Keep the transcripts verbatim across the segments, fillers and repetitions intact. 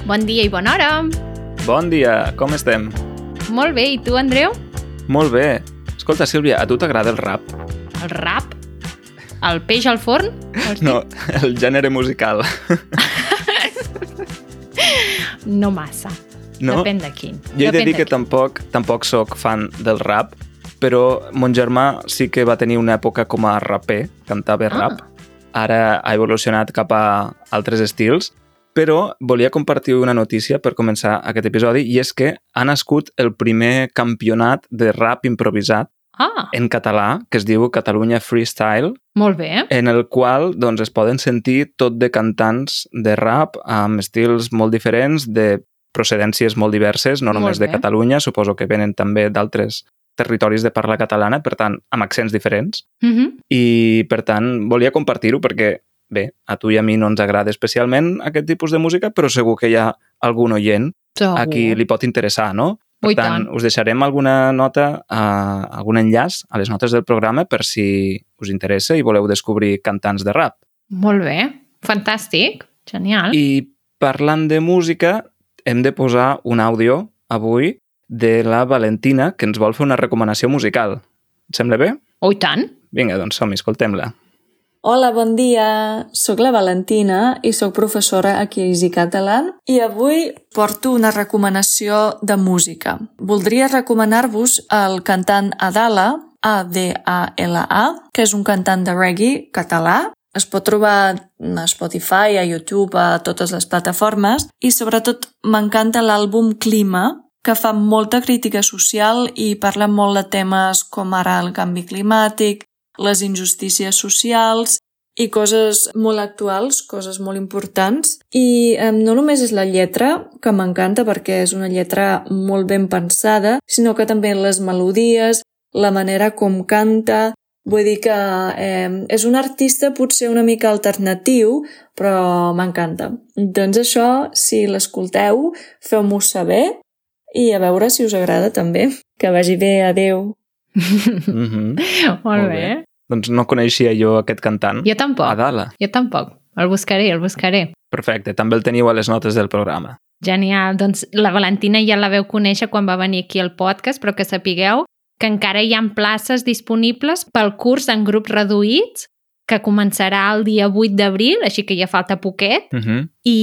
Bon dia i bona hora. Bon dia, com estem? Molt bé, i tu, Andreu? Molt bé. Escolta, Sílvia, a tu t'agrada el rap? El rap? El peix al forn? No, el gènere musical. No massa. No? Depèn de quin. Jo he de Depèn dir que tampoc, tampoc soc fan del rap, però mon germà sí que va tenir una època com a raper, cantava Ah. rap. Ara ha evolucionat cap a altres estils, però volia compartir una notícia per començar aquest episodi, i és que ha nascut el primer campionat de rap improvisat Ah, en català, que es diu Catalunya Freestyle, molt bé. en el qual doncs, es poden sentir tot de cantants de rap amb estils molt diferents, de procedències molt diverses, no Molt només de bé. Catalunya, suposo que venen també d'altres territoris de parla catalana, per tant, amb accents diferents. Uh-huh. I, per tant, volia compartir-ho perquè, bé, a tu i a mi no ens agrada especialment aquest tipus de música, però segur que hi ha algun oient Segur. a qui li pot interessar, no? Per Ui, tant, tant. us deixarem alguna nota, uh, algun enllaç a les notes del programa per si us interessa i voleu descobrir cantants de rap. Molt bé. Fantàstic. Genial. I parlant de música, hem de posar un àudio avui de la Valentina, que ens vol fer una recomanació musical. Et sembla bé? Ui, tant. Vinga, doncs som-hi, escoltem-la. Hola, bon dia. Soc la Valentina i soc professora aquí a Easy Catalan i avui porto una recomanació de música. Voldria recomanar-vos el cantant Adala, A D A L A, que és un cantant de reggae català. Es pot trobar a Spotify, a YouTube, a totes les plataformes i sobretot m'encanta l'àlbum Clima, que fa molta crítica social i parla molt de temes com ara el canvi climàtic, les injustícies socials i coses molt actuals, coses molt importants. I eh, no només és la lletra, que m'encanta perquè és una lletra molt ben pensada, sinó que també les melodies, la manera com canta. Vull dir que eh, és un artista potser una mica alternatiu, però m'encanta. Doncs això, si l'escolteu, feu-m'ho saber i a veure si us agrada també. Que vagi bé, adeu. Mm-hmm. Molt bé. Doncs no coneixia jo aquest cantant. Jo tampoc. Adala. Jo tampoc. El buscaré, el buscaré. Perfecte, també el teniu a les notes del programa. Genial. Doncs la Valentina ja la veu conèixer quan va venir aquí al podcast, però que sapigueu que encara hi ha places disponibles pel curs en grups reduïts que començarà el dia vuit d'abril, així que ja falta poquet. Mm-hmm. I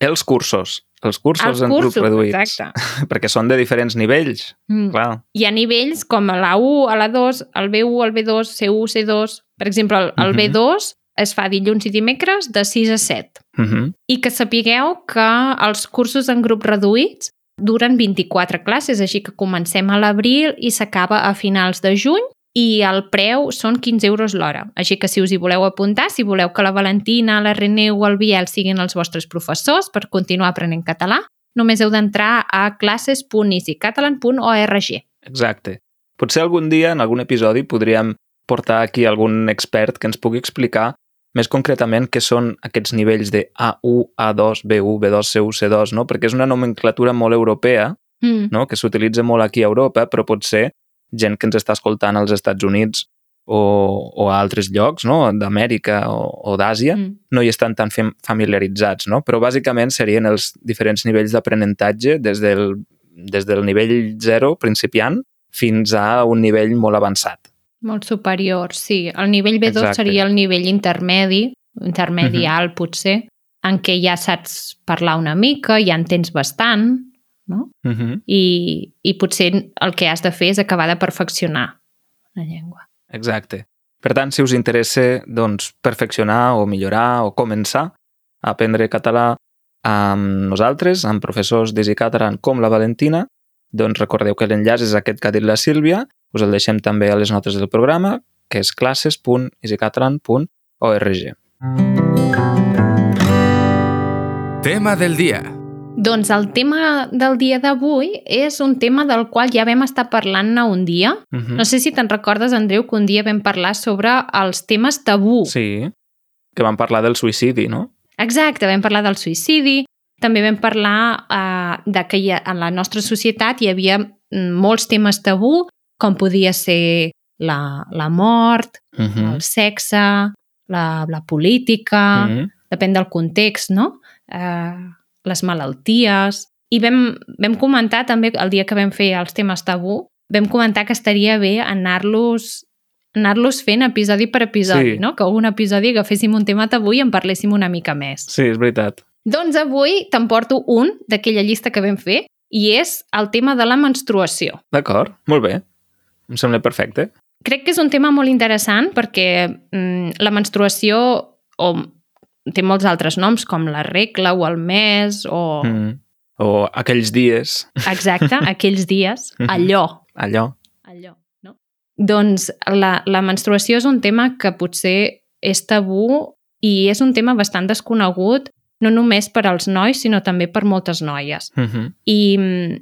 Els cursos. Els cursos els en cursos, grups reduïts. exacte. Perquè són de diferents nivells. Mm. Clar. Hi ha nivells com a la u, a la dos, el B u, el B dos, C u, C dos. Per exemple, el, el Mhm. B dos es fa dilluns i dimecres de sis a set. Mm-hmm. I que sapigueu que els cursos en grups reduïts duren vint-i-quatre classes, així que comencem a l'abril i s'acaba a finals de juny i el preu són quinze euros l'hora. Així que si us hi voleu apuntar, si voleu que la Valentina, la René o el Biel siguin els vostres professors per continuar aprenent català, només heu d'entrar a classes punt easy catalan punt org. Exacte. Potser algun dia, en algun episodi, podríem portar aquí algun expert que ens pugui explicar més concretament què són aquests nivells de A u, A dos, B u, B dos, C u, C dos, no? Perquè és una nomenclatura molt europea, Mm. no? Que s'utilitza molt aquí a Europa, però potser gent que ens està escoltant als Estats Units o, o a altres llocs, no? D'Amèrica o, o d'Àsia, Mm. no hi estan tan fam- familiaritzats, no? Però bàsicament serien els diferents nivells d'aprenentatge des del, des del nivell zero, principiant, fins a un nivell molt avançat. Molt superior, sí. El nivell B dos Exacte. seria el nivell intermedi, intermedi Mhm. alt potser, en què ja saps parlar una mica, ja entens bastant, no? Uh-huh. I, i potser el que has de fer és acabar de perfeccionar la llengua. Exacte. Per tant, si us interessa doncs, perfeccionar o millorar o començar a aprendre català amb nosaltres, amb professors d'Easy Catalan com la Valentina, doncs recordeu que l'enllaç és aquest que ha dit la Sílvia, us el deixem també a les notes del programa, que és classes punt easy catalan punt org. Tema del dia. Doncs el tema del dia d'avui és un tema del qual ja vam estar parlant-ne un dia. Uh-huh. No sé si te'n recordes, Andreu, que un dia vam parlar sobre els temes tabú. Sí, que vam parlar del suïcidi, no? Exacte, vam parlar del suïcidi també vam parlar eh, de que hi ha, en la nostra societat hi havia molts temes tabú, com podia ser la, la mort, Uh -huh. el sexe, la, la política, Uh -huh. depèn del context, no? Eh, les malalties. I vam, vam comentar també, el dia que vam fer els temes tabú, vam comentar que estaria bé anar-los anar-los fent episodi per episodi, Sí. no? Que un episodi agaféssim un tema tabú i en parléssim una mica més. Sí, és veritat. Doncs avui t'emporto un d'aquella llista que vam fer i és el tema de la menstruació. D'acord, molt bé. Em sembla perfecte. Crec que és un tema molt interessant perquè mm, la menstruació o, té molts altres noms, com la regla o el mes o... Mm. O aquells dies. Exacte, aquells dies, allò. Allò. Allò, no? Doncs la, la menstruació és un tema que potser és tabú i és un tema bastant desconegut, no només per als nois, sinó també per moltes noies. Uh -huh. I mm,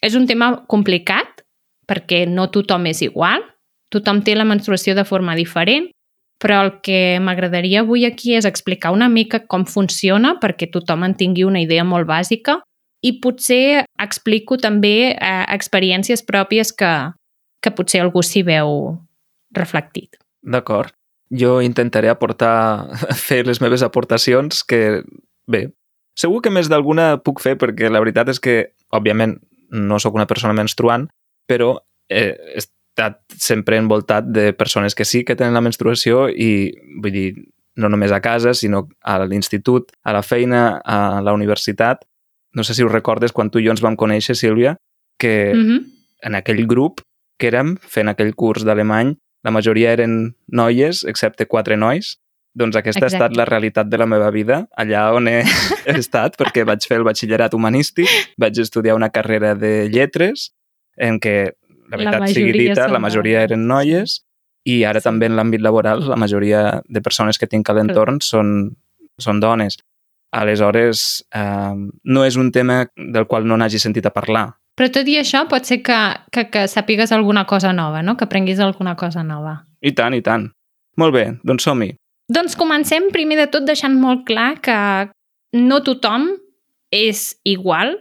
és un tema complicat perquè no tothom és igual, tothom té la menstruació de forma diferent, però el que m'agradaria avui aquí és explicar una mica com funciona perquè tothom en tingui una idea molt bàsica i potser explico també eh, experiències pròpies que, que potser algú s'hi veu reflectit. D'acord. Jo intentaré aportar, fer les meves aportacions que, bé, segur que més d'alguna puc fer perquè la veritat és que, òbviament, no sóc una persona menstruant, però he estat sempre envoltat de persones que sí que tenen la menstruació i, vull dir, no només a casa, sinó a l'institut, a la feina, a la universitat. No sé si us recordes quan tu i jo ens vam conèixer, Sílvia, que Mm-hmm. en aquell grup que érem fent aquell curs d'alemany, la majoria eren noies, excepte quatre nois. Doncs aquesta Exacte. ha estat la realitat de la meva vida, allà on he estat, perquè vaig fer el batxillerat humanístic, vaig estudiar una carrera de lletres, en què, la veritat sigui dita, la majoria eren noies, i ara Sí. també en l'àmbit laboral, la majoria de persones que tinc a l'entorn són, són dones. Aleshores, eh, no és un tema del qual no n'hagi sentit a parlar. Però tot i això pot ser que, que, que sàpigues alguna cosa nova, no? Que aprenguis alguna cosa nova. I tant, i tant. Molt bé, doncs som-hi. Doncs comencem primer de tot deixant molt clar que no tothom és igual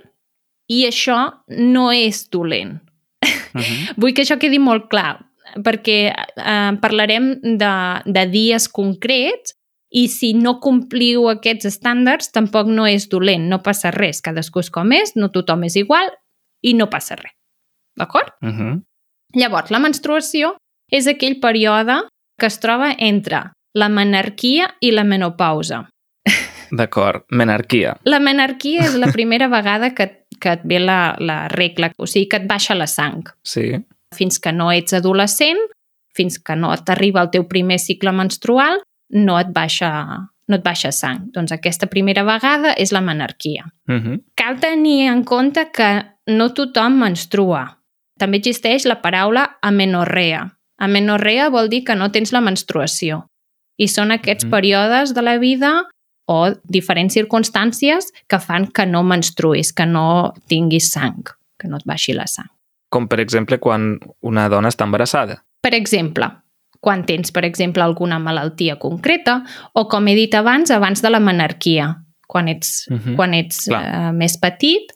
i això no és dolent. Uh -huh. Vull que això quedi molt clar, perquè eh, parlarem de, de dies concrets i si no compliu aquests estàndards tampoc no és dolent, no passa res. Cadascú és com és, no tothom és igual i no passa res. D'acord? Uh -huh. Llavors, la menstruació és aquell període que es troba entre la menarquia i la menopausa. D'acord, menarquia. La menarquia és la primera vegada que, que et ve la, la regla, o sigui, que et baixa la sang. Sí. Fins que no ets adolescent, fins que no t'arriba el teu primer cicle menstrual, no et baixa, no et baixa sang. Doncs aquesta primera vegada és la menarquia. Uh -huh. Cal tenir en compte que no tothom menstrua. També existeix la paraula amenorrea. Amenorrea vol dir que no tens la menstruació. I són aquests Mhm. períodes de la vida o diferents circumstàncies que fan que no menstruïs, que no tinguis sang, que no et baixi la sang. Com, per exemple, quan una dona està embarassada. Per exemple, quan tens, per exemple, alguna malaltia concreta o, com he dit abans, abans de la menarquia. Quan ets, Mhm. quan ets Clar. uh, més petit,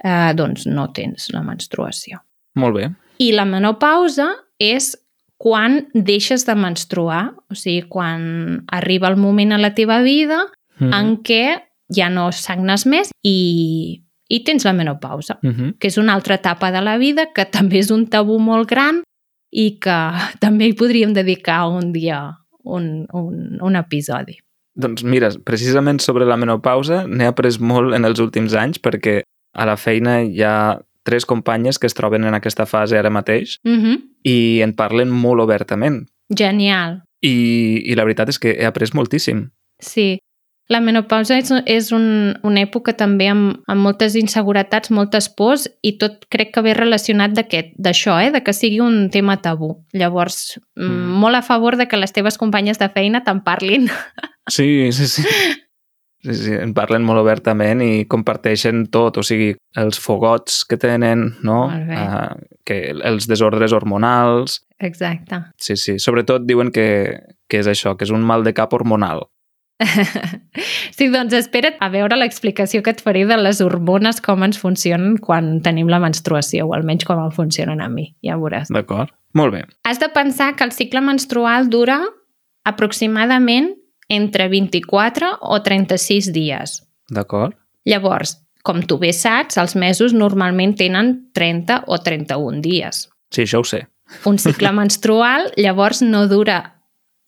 uh, doncs no tens la menstruació. Molt bé. I la menopausa és quan deixes de menstruar, o sigui, quan arriba el moment a la teva vida Uh -huh. en què ja no sagnes més i, i tens la menopausa, Uh -huh. que és una altra etapa de la vida que també és un tabú molt gran i que també hi podríem dedicar un dia un, un, un episodi. Doncs mira, precisament sobre la menopausa n'he après molt en els últims anys perquè a la feina hi ha tres companyes que es troben en aquesta fase ara mateix Mm-hmm. i en parlen molt obertament. Genial. I, i la veritat és que he après moltíssim. Sí. La menopausa és, és un, una època també amb, amb moltes inseguretats, moltes pors i tot crec que ve relacionat d'això, eh? De que sigui un tema tabú. Llavors, mm. molt a favor de que les teves companyes de feina te'n parlin. Sí, sí, sí. Sí, sí, en parlen molt obertament i comparteixen tot, o sigui, els fogots que tenen, no? Molt bé. Uh, que els desordres hormonals. Exacte. Sí, sí. Sobretot diuen que, que és això, que és un mal de cap hormonal. Sí, doncs espera't a veure l'explicació que et faré de les hormones, com ens funcionen quan tenim la menstruació, o almenys com em funcionen a mi, ja veuràs. D'acord, molt bé. Has de pensar que el cicle menstrual dura aproximadament entre vint-i-quatre o trenta-sis dies. D'acord. Llavors, com tu bé saps, els mesos normalment tenen trenta o trenta-un dies. Sí, això ho sé. Un cicle menstrual, llavors, no dura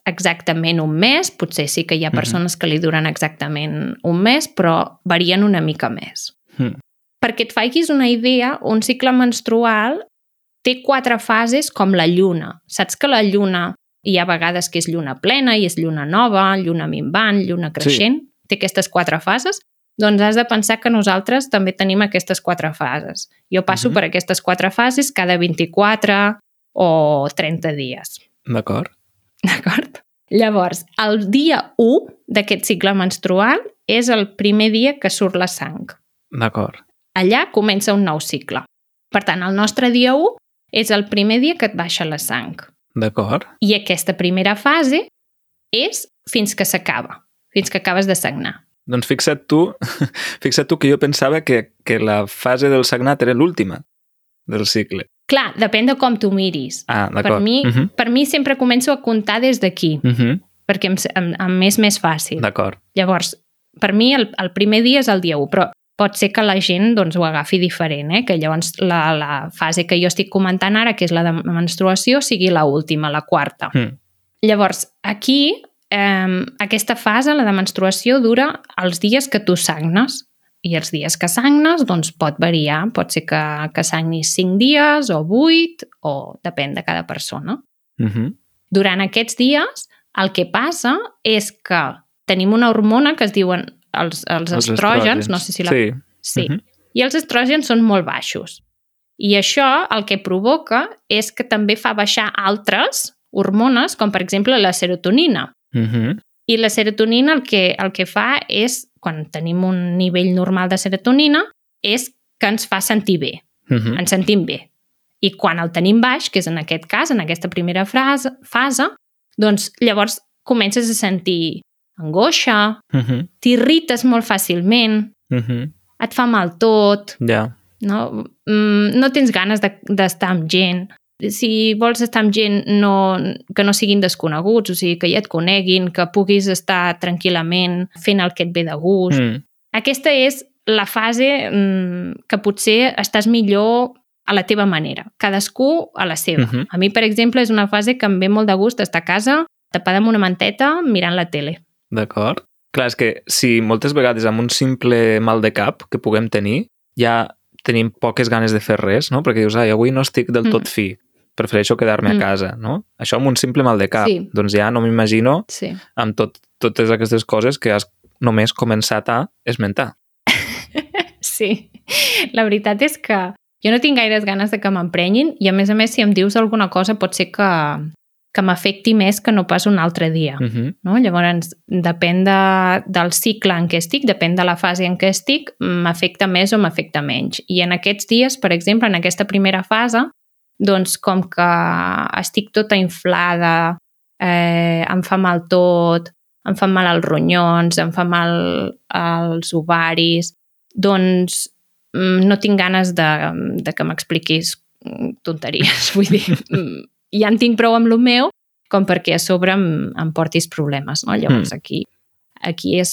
exactament un mes, potser sí que hi ha persones que li duren exactament un mes, però varien una mica més. Mm. Perquè et facis una idea, un cicle menstrual té quatre fases com la lluna. Saps que la lluna hi ha vegades que és lluna plena i és lluna nova, lluna minvant, lluna creixent? Sí. Té aquestes quatre fases? Doncs has de pensar que nosaltres també tenim aquestes quatre fases. Jo passo uh-huh. per aquestes quatre fases cada vint-i-quatre o trenta dies. D'acord. D'acord? Llavors, el dia u d'aquest cicle menstrual és el primer dia que surt la sang. D'acord. Allà comença un nou cicle. Per tant, el nostre dia u és el primer dia que et baixa la sang. D'acord. I aquesta primera fase és fins que s'acaba, fins que acabes de sagnar. Doncs fixa't tu, fixa't tu que jo pensava que, que la fase del sagnat era l'última del cicle. Clar, depèn de com tu miris. Ah, d'acord. Per mi, uh-huh. per mi sempre començo a comptar des d'aquí, uh-huh. perquè em, em, em és més fàcil. D'acord. Llavors, per mi el, el primer dia és el dia u, però pot ser que la gent doncs, ho agafi diferent, eh? Que llavors la, la fase que jo estic comentant ara, que és la de menstruació, sigui la última, la quarta. Mm. Llavors, aquí, eh, aquesta fase, la de menstruació, dura els dies que tu sagnes. I els dies que sagnes, doncs pot variar. Pot ser que, que sagnis cinc dies o vuit, o depèn de cada persona. Uh-huh. Durant aquests dies, el que passa és que tenim una hormona que es diuen els, els, els estrògens, no sé si la... Sí. Sí. Uh-huh. I els estrògens són molt baixos. I això el que provoca és que també fa baixar altres hormones, com per exemple la serotonina. Uh-huh. I la serotonina el que, el que fa és, quan tenim un nivell normal de serotonina, és que ens fa sentir bé. Uh-huh. Ens sentim bé. I quan el tenim baix, que és en aquest cas, en aquesta primera frase, fase, doncs llavors comences a sentir angoixa, uh-huh. t'irrites molt fàcilment, uh-huh. et fa mal tot, Ja. no, mm, no tens ganes de, d'estar amb gent. Si vols estar amb gent no, que no siguin desconeguts, o sigui, que ja et coneguin, que puguis estar tranquil·lament fent el que et ve de gust. Mm. Aquesta és la fase mm, que potser estàs millor a la teva manera. Cadascú a la seva. Uh-huh. A mi, per exemple, és una fase que em ve molt de gust estar a casa, tapada amb una manteta, mirant la tele. D'acord. Clar, és que si moltes vegades amb un simple mal de cap que puguem tenir, ja tenim poques ganes de fer res, no? Perquè dius, ai, avui no estic del tot mm. fi, prefereixo quedar-me mm. a casa, no? Això amb un simple mal de cap. Sí. Doncs ja no m'imagino sí. amb tot, totes aquestes coses que has només començat a esmentar. Sí, la veritat és que jo no tinc gaires ganes de que m'emprenyin i a més a més si em dius alguna cosa pot ser que, que m'afecti més que no pas un altre dia. Uh-huh. No? Llavors, depèn de, del cicle en què estic, depèn de la fase en què estic, m'afecta més o m'afecta menys. I en aquests dies, per exemple, en aquesta primera fase, doncs com que estic tota inflada, eh, em fa mal tot, em fan mal els ronyons, em fa mal els ovaris, doncs no tinc ganes de, de que m'expliquis tonteries. Vull dir, ja en tinc prou amb el meu com perquè a sobre em, em portis problemes. No? Llavors mm. aquí, aquí és,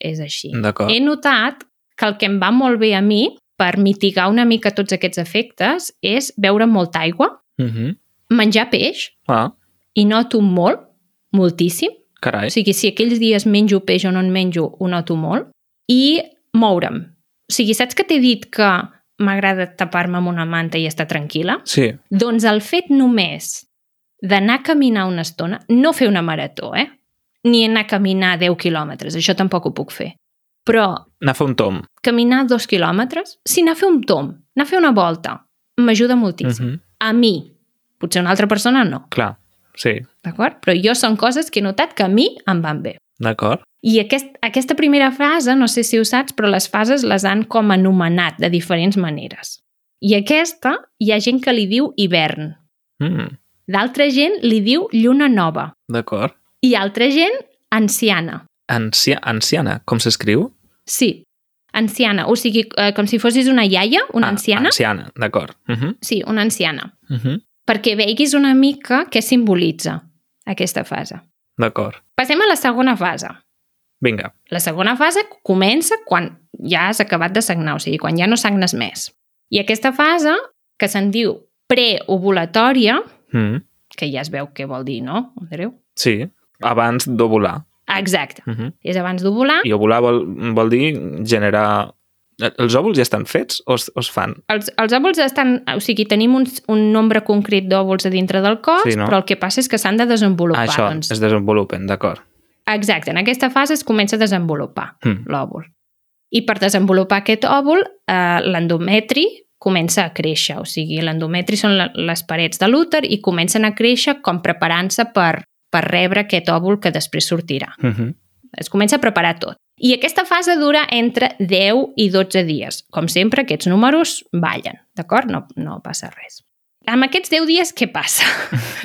és així. D'acord. He notat que el que em va molt bé a mi per mitigar una mica tots aquests efectes és beure molta aigua, uh-huh. menjar peix, ah. i noto molt, moltíssim. Carai. O sigui, si aquells dies menjo peix o no en menjo, ho noto molt. I moure'm. O sigui, saps que t'he dit que m'agrada tapar-me amb una manta i estar tranquil·la? Sí. Doncs el fet només d'anar a caminar una estona, no fer una marató, eh? Ni anar a caminar deu quilòmetres, això tampoc ho puc fer. Però... Anar a fer un tom. Caminar dos quilòmetres? Sí, anar a fer un tom, anar a fer una volta. M'ajuda moltíssim. Uh-huh. A mi. Potser una altra persona no. Clar, sí. D'acord? Però jo són coses que he notat que a mi em van bé. D'acord. I aquest, aquesta primera fase, no sé si ho saps, però les fases les han com anomenat de diferents maneres. I aquesta, hi ha gent que li diu hivern. Mm. D'altra gent li diu lluna nova. D'acord. I altra gent, anciana. Anci anciana, com s'escriu? Sí, anciana. O sigui, eh, com si fossis una iaia, una ah, anciana. Anciana, d'acord. Uh -huh. Sí, una anciana. Uh -huh. Perquè veiguis una mica què simbolitza aquesta fase. D'acord. Passem a la segona fase. Vinga. La segona fase comença quan ja has acabat de sagnar, o sigui, quan ja no sagnes més. I aquesta fase, que se'n diu preovulatòria, Mm. que ja es veu què vol dir, no, Andreu? Sí, abans d'ovular. Exacte. Uh -huh. És abans d'ovular. I ovular vol, vol dir generar... Els òvuls ja estan fets o es, o es fan? Els, els òvuls estan... O sigui, tenim un, un nombre concret d'òvuls a dintre del cos, sí, no? però el que passa és que s'han de desenvolupar. Ah, això, doncs... es desenvolupen, d'acord. Exacte, en aquesta fase es comença a desenvolupar Mm. l'òvul. I per desenvolupar aquest òvul, eh, l'endometri comença a créixer. O sigui, l'endometri són la, les parets de l'úter i comencen a créixer com preparant-se per, per rebre aquest òvul que després sortirà. Uh -huh. Es comença a preparar tot. I aquesta fase dura entre deu i dotze dies. Com sempre, aquests números ballen, d'acord? No, no passa res. Amb aquests deu dies, què passa?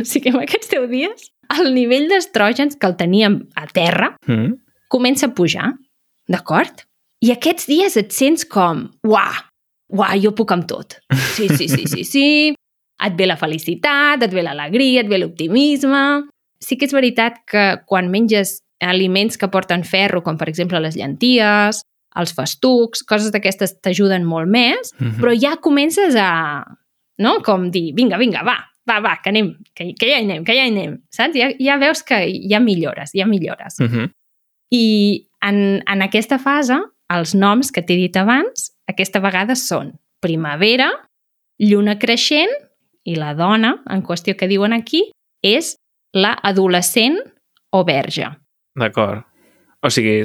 O sigui, amb aquests deu dies, el nivell d'estrògens que el teníem a terra Mm. comença a pujar, d'acord? I aquests dies et sents com, uah, uah, jo puc amb tot. Sí, sí, sí, sí, sí. Et ve la felicitat, et ve l'alegria, et ve l'optimisme. Sí que és veritat que quan menges aliments que porten ferro, com per exemple les llenties, els festucs, coses d'aquestes t'ajuden molt més, Mm-hmm. però ja comences a, no?, com dir, vinga, vinga, va, va, va, que anem, que, que ja hi anem, que ja hi anem, saps? Ja, ja veus que hi ha millores, hi ha millores. Mm -hmm. I en, en aquesta fase, els noms que t'he dit abans, aquesta vegada són primavera, lluna creixent, i la dona en qüestió que diuen aquí és la adolescent o verge. D'acord. O sigui,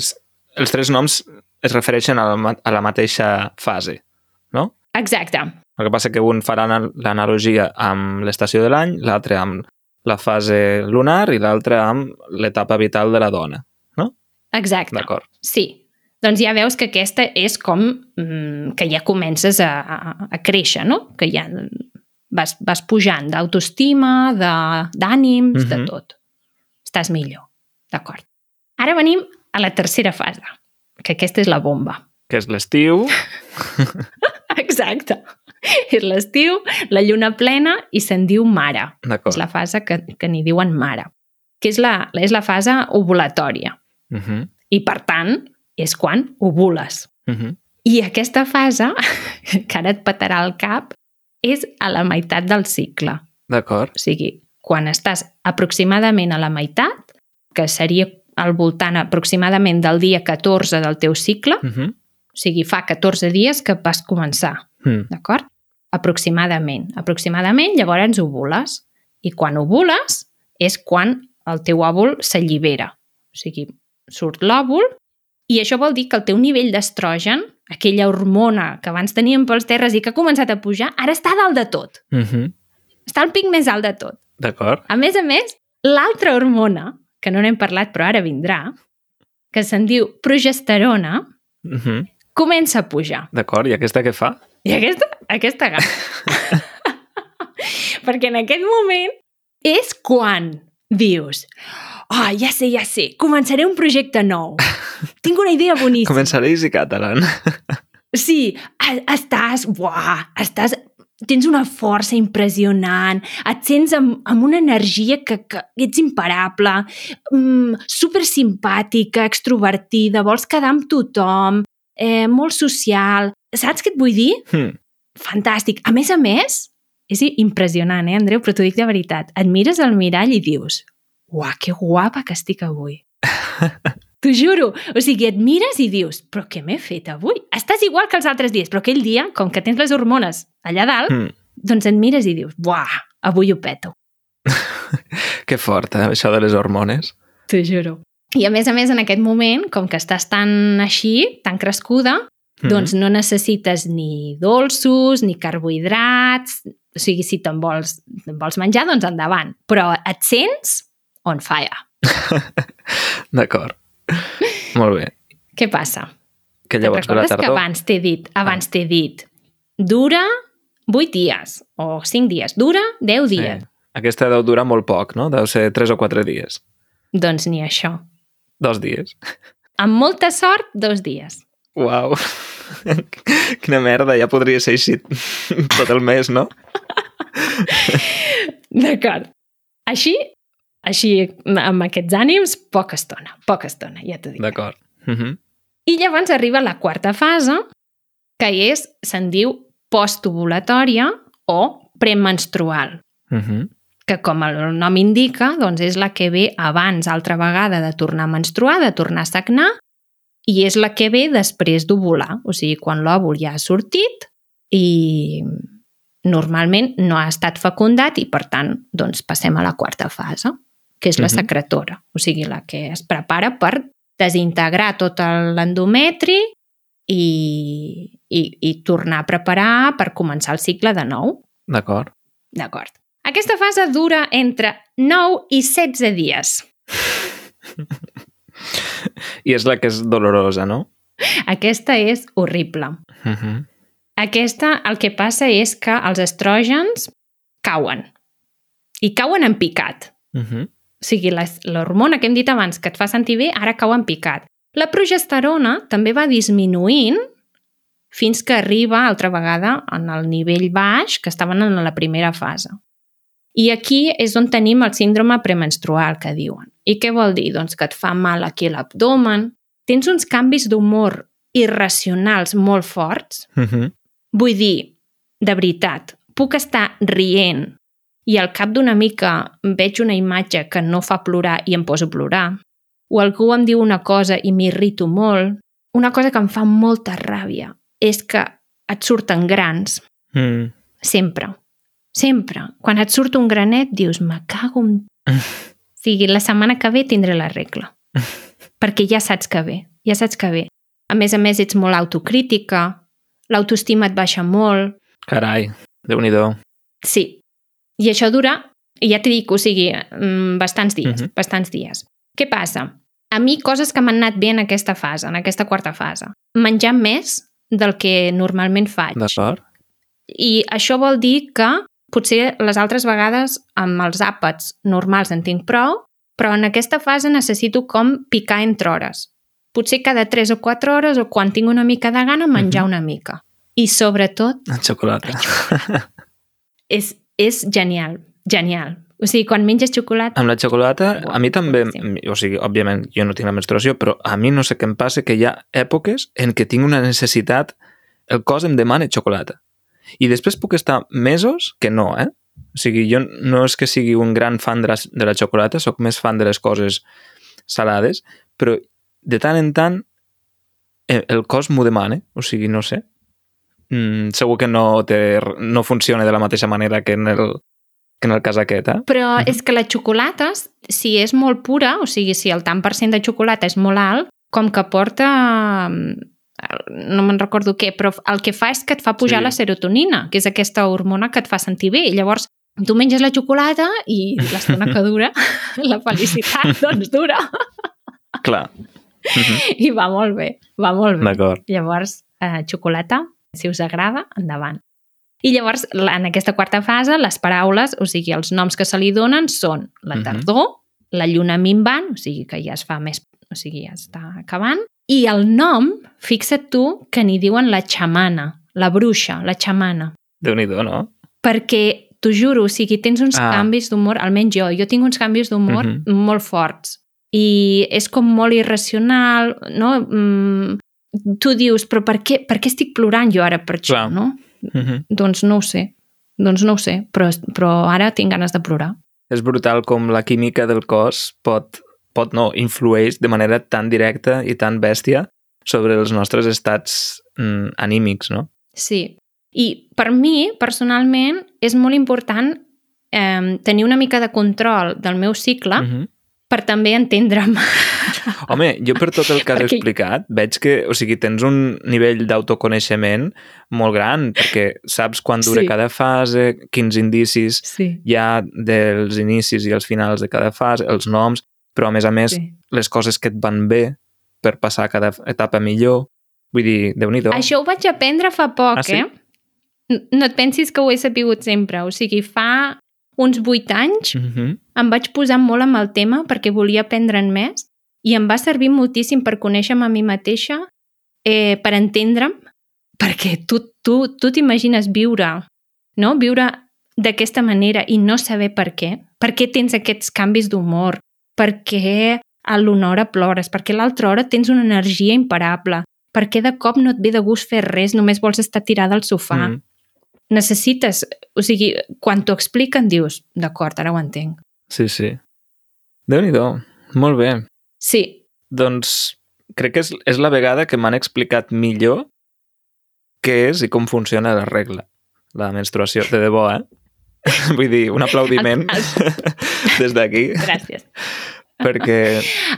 els tres noms es refereixen a la, a la mateixa fase, no? Exacte. El que passa que un farà l'analogia amb l'estació de l'any, l'altre amb la fase lunar i l'altre amb l'etapa vital de la dona, no? Exacte. D'acord. Sí. Doncs ja veus que aquesta és com mmm, que ja comences a, a, a créixer, no? Que ja vas, vas pujant d'autoestima, d'ànims, de, Mm-hmm. de tot. Estàs millor. D'acord. Ara venim a la tercera fase, que aquesta és la bomba. Que és l'estiu. Exacte. És l'estiu, la lluna plena i se'n diu mare. D'acord. És la fase que, que n'hi diuen mare, que és la, és la fase ovulatòria. Uh -huh. I, per tant, és quan ovules. Uh -huh. I aquesta fase, que ara et petarà el cap, és a la meitat del cicle. D'acord. O sigui, quan estàs aproximadament a la meitat, que seria al voltant aproximadament del dia catorze del teu cicle, Uh -huh. o sigui, fa catorze dies que vas començar, Mm. d'acord? Aproximadament. Aproximadament, llavors ovules. I quan ovules és quan el teu òvul s'allibera. O sigui, surt l'òvul i això vol dir que el teu nivell d'estrogen, aquella hormona que abans teníem pels terres i que ha començat a pujar, ara està a dalt de tot. Uh -huh. Està al pic més alt de tot. D'acord. A més a més, l'altra hormona, que no n'hem parlat però ara vindrà, que se'n diu progesterona, Uh -huh. comença a pujar. D'acord, i aquesta què fa? I aquesta, aquesta gana. Perquè en aquest moment és quan dius, oh, ja sé, ja sé, començaré un projecte nou. Tinc una idea boníssima. Començaré Easy Catalan. Sí, estàs, uah, estàs, tens una força impressionant, et sents amb, amb una energia que, que ets imparable, mm, super simpàtica, extrovertida, vols quedar amb tothom, eh, molt social. Saps què et vull dir? Hmm. Fantàstic. A més a més, és impressionant, eh, Andreu? Però t'ho dic de veritat. Et mires al mirall i dius, uah, que guapa que estic avui. T'ho juro. O sigui, et mires i dius, però què m'he fet avui? Estàs igual que els altres dies, però aquell dia, com que tens les hormones allà dalt, Hmm. doncs et mires i dius, uah, avui ho peto. Que fort, eh, això de les hormones. T'ho juro. I a més a més, en aquest moment, com que estàs tan així, tan crescuda, Mm-hmm. doncs no necessites ni dolços, ni carbohidrats, o sigui, si te'n vols, te'n vols menjar, doncs endavant. Però et sents on fire. D'acord. Molt bé. Què passa? Que Te'n llavors de la recordes que tardor... abans t'he dit, abans t'he dit, dura vuit dies o cinc dies, dura deu dies. Eh, aquesta deu durar molt poc, no? Deu ser tres o quatre dies. Doncs ni això. Dos dies. Amb molta sort, dos dies. Uau. Quina merda, ja podria ser així tot el mes, no? D'acord. Així, així, amb aquests ànims, poca estona, poca estona, ja t'ho dic. D'acord. Uh -huh. I llavors arriba la quarta fase, que és, se'n diu postovulatòria o premenstrual, Uh -huh. que com el nom indica, doncs és la que ve abans, altra vegada, de tornar a menstruar, de tornar a sagnar, i és la que ve després d'ovular, o sigui, quan l'òvul ja ha sortit i normalment no ha estat fecundat i, per tant, doncs passem a la quarta fase, que és la Mhm. secretora, o sigui, la que es prepara per desintegrar tot l'endometri i, i, i tornar a preparar per començar el cicle de nou. D'acord. D'acord. Aquesta fase dura entre nou i setze dies. I és la que és dolorosa, no? Aquesta és horrible. Uh -huh. Aquesta, el que passa és que els estrògens cauen. I cauen en picat. Uh -huh. O sigui, l'hormona que hem dit abans que et fa sentir bé, ara cau en picat. La progesterona també va disminuint fins que arriba altra vegada en el nivell baix que estaven en la primera fase. I aquí és on tenim el síndrome premenstrual, que diuen. I què vol dir? Doncs que et fa mal aquí l'abdomen, tens uns canvis d'humor irracionals molt forts. Uh -huh. Vull dir, de veritat, puc estar rient i al cap d'una mica veig una imatge que no fa plorar i em poso a plorar, o algú em diu una cosa i m'irrito molt. Una cosa que em fa molta ràbia és que et surten grans. Mm. Sempre. Sempre. Quan et surt un granet dius, me cago en... O sigui, la setmana que ve tindré la regla. Perquè ja saps que ve. Ja saps que ve. A més a més, ets molt autocrítica, l'autoestima et baixa molt. Carai, Déu-n'hi-do. Sí. I això dura, ja t'he dit, o sigui, bastants dies, Mhm. bastants dies. Què passa? A mi, coses que m'han anat bé en aquesta fase, en aquesta quarta fase. Menjar més del que normalment faig. D'acord. I això vol dir que potser les altres vegades amb els àpats normals en tinc prou, però en aquesta fase necessito com picar entre hores. Potser cada tres o quatre hores o quan tinc una mica de gana menjar Mhm. una mica. I sobretot El xocolata. és, és genial, genial. O sigui, quan menges xocolata... Amb la xocolata, a mi també, boníssim. o sigui, òbviament jo no tinc la menstruació, però a mi no sé què em passa, que hi ha èpoques en què tinc una necessitat, el cos em demana xocolata. I després puc estar mesos que no, eh? O sigui, jo no és que sigui un gran fan de la, de la xocolata, sóc més fan de les coses salades, però de tant en tant eh, el cos m'ho demana, o sigui, no sé. Mm, segur que no, té, no funciona de la mateixa manera que en el, que en el cas aquest, eh? Però Mhm. és que la xocolata, si és molt pura, o sigui, si el tant per cent de xocolata és molt alt, com que porta... no me'n recordo què, però el que fa és que et fa pujar Sí. la serotonina, que és aquesta hormona que et fa sentir bé. I llavors, tu menges la xocolata i l'estona que dura, la felicitat, doncs dura. Clar. Mhm. I va molt bé, va molt bé. D'acord. Llavors, eh, xocolata, si us agrada, endavant. I llavors, la- en aquesta quarta fase, les paraules, o sigui, els noms que se li donen són la Mhm. tardor, la lluna minvant, o sigui, que ja es fa més, o sigui, ja està acabant, i el nom, fixa't tu, que n'hi diuen la xamana, la bruixa, la xamana, Déu-n'hi-do, no? perquè, t'ho juro, o sigui, tens uns Ah. canvis d'humor, almenys jo, jo tinc uns canvis d'humor Mhm. molt forts, i és com molt irracional, no? Mm, tu dius, però per què, per què estic plorant jo ara per això, Clar. no? Mhm. Doncs no ho sé, doncs no ho sé, però, però ara tinc ganes de plorar. És brutal com la química del cos pot, pot no, influeix de manera tan directa i tan bèstia sobre els nostres estats mm, anímics, no? Sí, i per mi, personalment, és molt important eh, tenir una mica de control del meu cicle Mhm. per també entendre'm. Home, jo per tot el que has Perquè- explicat veig que, o sigui, tens un nivell d'autoconeixement molt gran, perquè saps quan dura Sí. cada fase, quins indicis Sí, hi ha dels inicis i els finals de cada fase, els noms, però a més a més sí. les coses que et van bé per passar cada etapa millor. Vull dir, Déu-n'hi-do. Això ho vaig aprendre fa poc, Ah, sí? eh? N- No et pensis que ho he sapigut sempre. O sigui, fa uns vuit anys Mhm. em vaig posar molt amb el tema perquè volia aprendre'n més i em va servir moltíssim per conèixer-me a mi mateixa, eh, per entendre'm, perquè tu, tu, tu t'imagines viure, no? Viure d'aquesta manera i no saber per què. Per què tens aquests canvis d'humor? Per què a l'una hora plores? Per què a l'altra hora tens una energia imparable? Per què de cop no et ve de gust fer res, només vols estar tirada al sofà? Mm. Necessites... O sigui, quan t'ho expliquen dius, d'acord, ara ho entenc. Sí, sí. Déu-n'hi-do. Molt bé. Sí. Doncs crec que és, és la vegada que m'han explicat millor què és i com funciona la regla, la menstruació, de debò, eh? Vull dir, un aplaudiment des d'aquí. Gràcies. Perquè...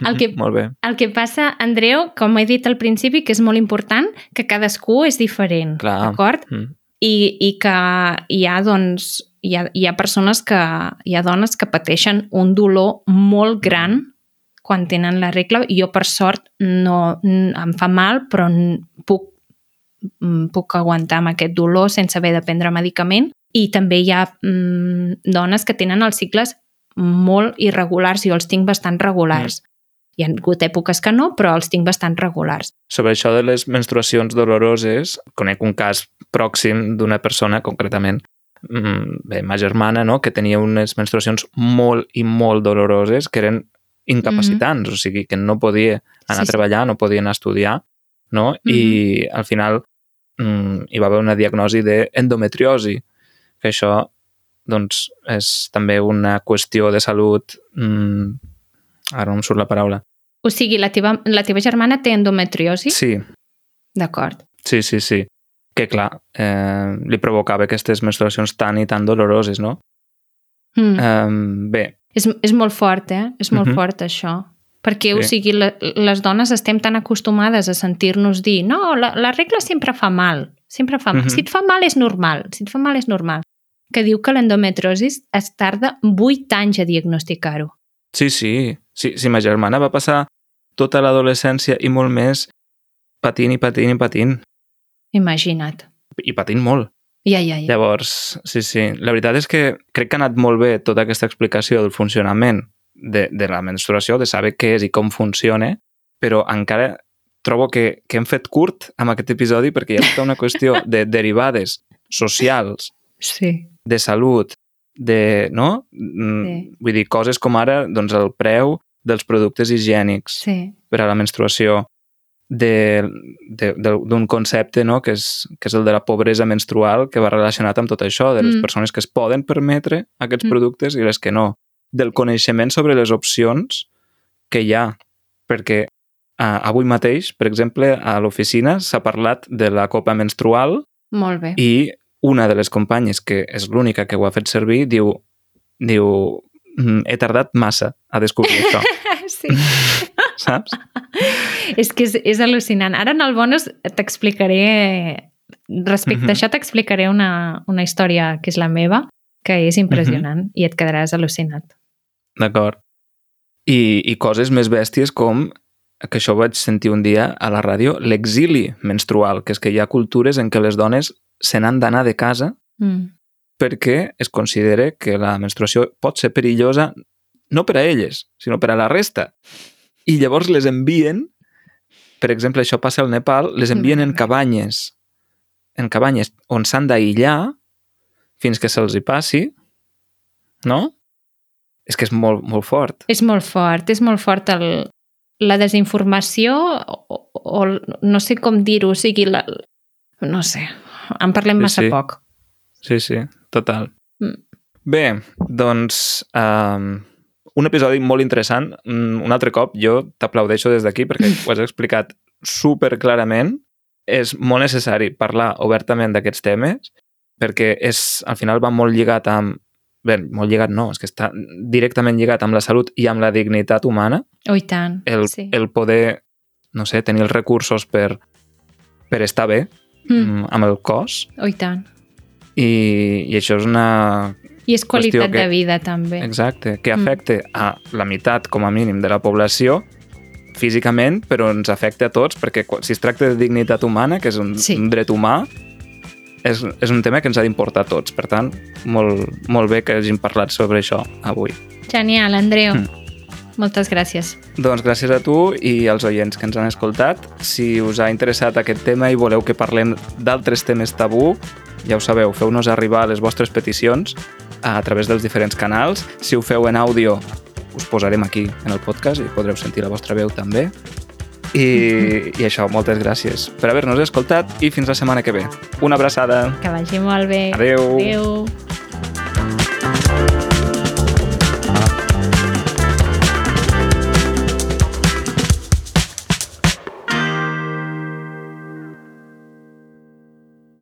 El que, molt bé. El que passa, Andreu, com he dit al principi, que és molt important, que cadascú és diferent, Clar. d'acord? Mm. I, i que hi ha, doncs, hi ha, hi ha persones que, hi ha dones que pateixen un dolor molt gran quan tenen la regla. Jo, per sort, no em fa mal, però puc, puc aguantar amb aquest dolor sense haver de prendre medicament. I també hi ha mm, dones que tenen els cicles molt irregulars. Jo els tinc bastant regulars. Mm. Hi ha hagut èpoques que no, però els tinc bastant regulars. Sobre això de les menstruacions doloroses, conec un cas pròxim d'una persona, concretament, bé, ma germana, no?, que tenia unes menstruacions molt i molt doloroses que eren incapacitants, mm-hmm. o sigui, que no podia anar sí, a treballar, no podia anar a estudiar, no? Mm-hmm. I al final mm, hi va haver una diagnosi d'endometriosi, que això doncs, és també una qüestió de salut... Mm, ara no em surt la paraula. O sigui, la teva, la teva germana té endometriosi? Sí. D'acord. Sí, sí, sí. Que clar, eh, li provocava aquestes menstruacions tan i tan doloroses, no? Mm. Eh, bé. És, és molt fort, eh? És molt mm-hmm. fort, això. Perquè, sí. o sigui, la, les dones estem tan acostumades a sentir-nos dir no, la, la regla sempre fa mal. Sempre fa mal. Mm-hmm. Si et fa mal és normal. Si et fa mal és normal. Que diu que l'endometriosi es tarda vuit anys a diagnosticar-ho. Sí, sí. Sí, sí, ma germana va passar tota l'adolescència i molt més patint i patint i patint. Imagina't. I patint molt. Ja, ja, ja. Llavors, sí, sí. La veritat és que crec que ha anat molt bé tota aquesta explicació del funcionament de, de la menstruació, de saber què és i com funciona, però encara trobo que, que hem fet curt amb aquest episodi perquè hi ha tota una qüestió de derivades socials, sí. de salut, de, no? Sí. Vull dir, coses com ara doncs, el preu dels productes higiènics sí. per a la menstruació, d'un concepte, no? que, és, que és el de la pobresa menstrual, que va relacionat amb tot això, de les mm. persones que es poden permetre aquests mm. productes i les que no. Del coneixement sobre les opcions que hi ha, perquè uh, avui mateix, per exemple, a l'oficina s'ha parlat de la copa menstrual. Molt bé. I una de les companyes, que és l'única que ho ha fet servir, diu, diu he tardat massa a descobrir això. Sí. Saps? És que és, és al·lucinant. Ara en el bonus t'explicaré, respecte mm-hmm. a això t'explicaré una, una història que és la meva, que és impressionant mm-hmm. i et quedaràs al·lucinat. D'acord. I, I coses més bèsties com, que això ho vaig sentir un dia a la ràdio, l'exili menstrual, que és que hi ha cultures en què les dones se n'han d'anar de casa mm. perquè es considera que la menstruació pot ser perillosa no per a elles, sinó per a la resta. I llavors les envien, per exemple, això passa al Nepal, les envien mm. en cabanyes, en cabanyes on s'han d'aïllar fins que se'ls hi passi, no? És que és molt, molt fort. És molt fort, és molt fort el, la desinformació o, o no sé com dir-ho, o sigui, la, no sé, en parlem sí, massa sí. poc. Sí, sí, total. Mm. Bé, doncs, um, un episodi molt interessant. Un altre cop, jo t'aplaudeixo des d'aquí perquè ho has explicat superclarament. És molt necessari parlar obertament d'aquests temes perquè és, al final va molt lligat amb... Bé, molt lligat no, és que està directament lligat amb la salut i amb la dignitat humana. Oh, i tant, el, sí. El poder, no sé, tenir els recursos per, per estar bé mm. amb el cos. Oh, i tant. I, i això és una... I és qualitat que, de vida, també. Exacte, que afecta mm. a la meitat, com a mínim, de la població físicament, però ens afecta a tots, perquè si es tracta de dignitat humana, que és un, sí. un dret humà, és, és un tema que ens ha d'importar a tots. Per tant, molt, molt bé que hagin parlat sobre això avui. Genial, Andreu. Mm. moltes gràcies. Doncs gràcies a tu i als oients que ens han escoltat. Si us ha interessat aquest tema i voleu que parlem d'altres temes tabú, ja ho sabeu, feu-nos arribar les vostres peticions a través dels diferents canals. Si ho feu en àudio, us posarem aquí en el podcast i podreu sentir la vostra veu també. I, i això, moltes gràcies per haver-nos escoltat i fins la setmana que ve. Una abraçada. Que vagi molt bé. Adeu. Adeu.